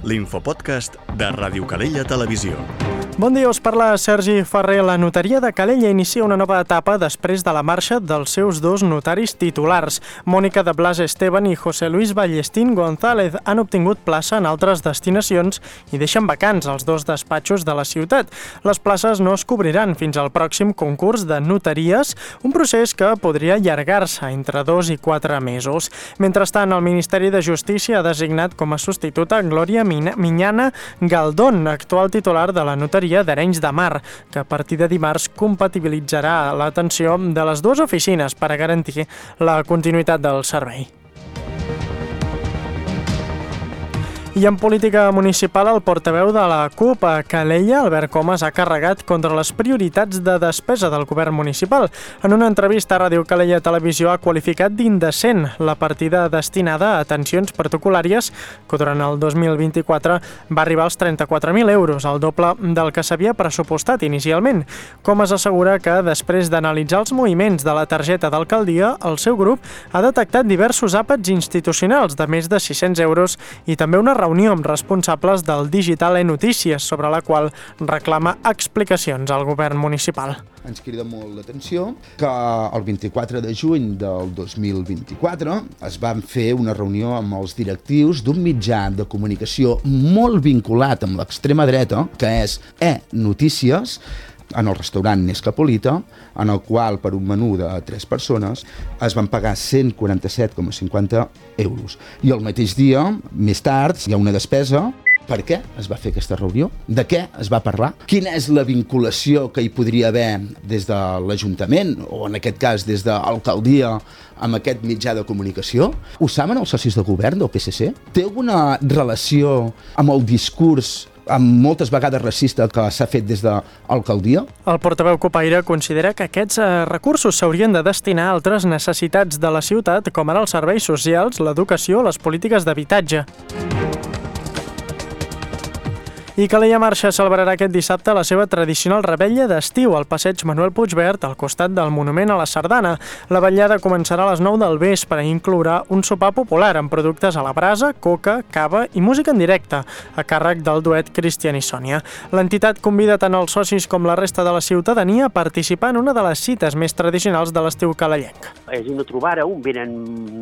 l'infopodcast de Ràdio Calella Televisió. Bon dia, us parla Sergi Ferrer. La notaria de Calella inicia una nova etapa després de la marxa dels seus dos notaris titulars. Mònica de Blas Esteban i José Luis Ballestín González han obtingut plaça en altres destinacions i deixen vacants els dos despatxos de la ciutat. Les places no es cobriran fins al pròxim concurs de notaries, un procés que podria allargar-se entre 2 i 4 mesos. Mentrestant, el Ministeri de Justícia ha designat com a substituta Glòria Miñana Galdón, actual titular de la notaria d'Arenys de Mar, que a partir de dimarts compatibilitzarà l'atenció de les dues oficines per a garantir la continuïtat del servei. I en política municipal, el portaveu de la CUP a Calella, Albert Comas, ha carregat contra les prioritats de despesa del govern municipal. En una entrevista a Ràdio Calella Televisió ha qualificat d'indecent la partida destinada a atencions protocol·làries, que durant el 2024 va arribar als 34.000 euros, el doble del que s'havia pressupostat inicialment. Comas assegura que, després d'analitzar els moviments de la targeta d'alcaldia, el seu grup ha detectat diversos àpats institucionals de més de 600 euros i també una reunió amb responsables del digital e-Notícies, sobre la qual reclama explicacions al govern municipal. Ens crida molt l'atenció que el 24 de juny del 2024 es van fer una reunió amb els directius d'un mitjà de comunicació molt vinculat amb l'extrema dreta, que és e-Notícies, en el restaurant Nescapolita, en el qual per un menú de 3 persones es van pagar 147,50 euros. I el mateix dia, més tard, hi ha una despesa. Per què es va fer aquesta reunió? De què es va parlar? Quina és la vinculació que hi podria haver des de l'Ajuntament, o en aquest cas des de l'alcaldia, amb aquest mitjà de comunicació? Ho saben els socis de govern del PSC? Té alguna relació amb el discurs amb moltes vegades racista que s'ha fet des de l'alcaldia? El portaveu copaire considera que aquests recursos s'haurien de destinar a altres necessitats de la ciutat, com ara els serveis socials, l'educació o les polítiques d'habitatge. I Calella Marxa celebrarà aquest dissabte la seva tradicional revetlla d'estiu al passeig Manuel Puigvert, al costat del Monument a la Sardana. La vetllada començarà a les 9 del vespre i inclourà un sopar popular amb productes a la brasa, coca, cava i música en directe, a càrrec del duet Cristian i Sònia. L'entitat convida tant els socis com la resta de la ciutadania a participar en una de les cites més tradicionals de l'estiu calellenc. És una trobada on venen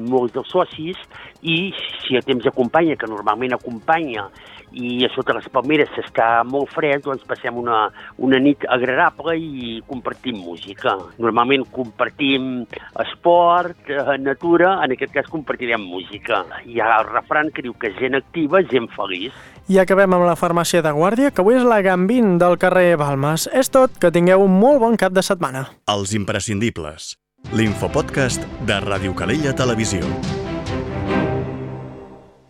molts dels socis i si el temps acompanya, que normalment acompanya, i a sota les palmeres s'està molt fred, doncs passem una nit agradable i compartim música. Normalment compartim esport, natura, en aquest cas compartirem música. Hi ha el refran que diu que gent activa, gent feliç. I acabem amb la farmàcia de Guàrdia, que avui és la Gambín del carrer Balmes. És tot, que tingueu un molt bon cap de setmana. Els imprescindibles. L'infopodcast de Ràdio Calella Televisió.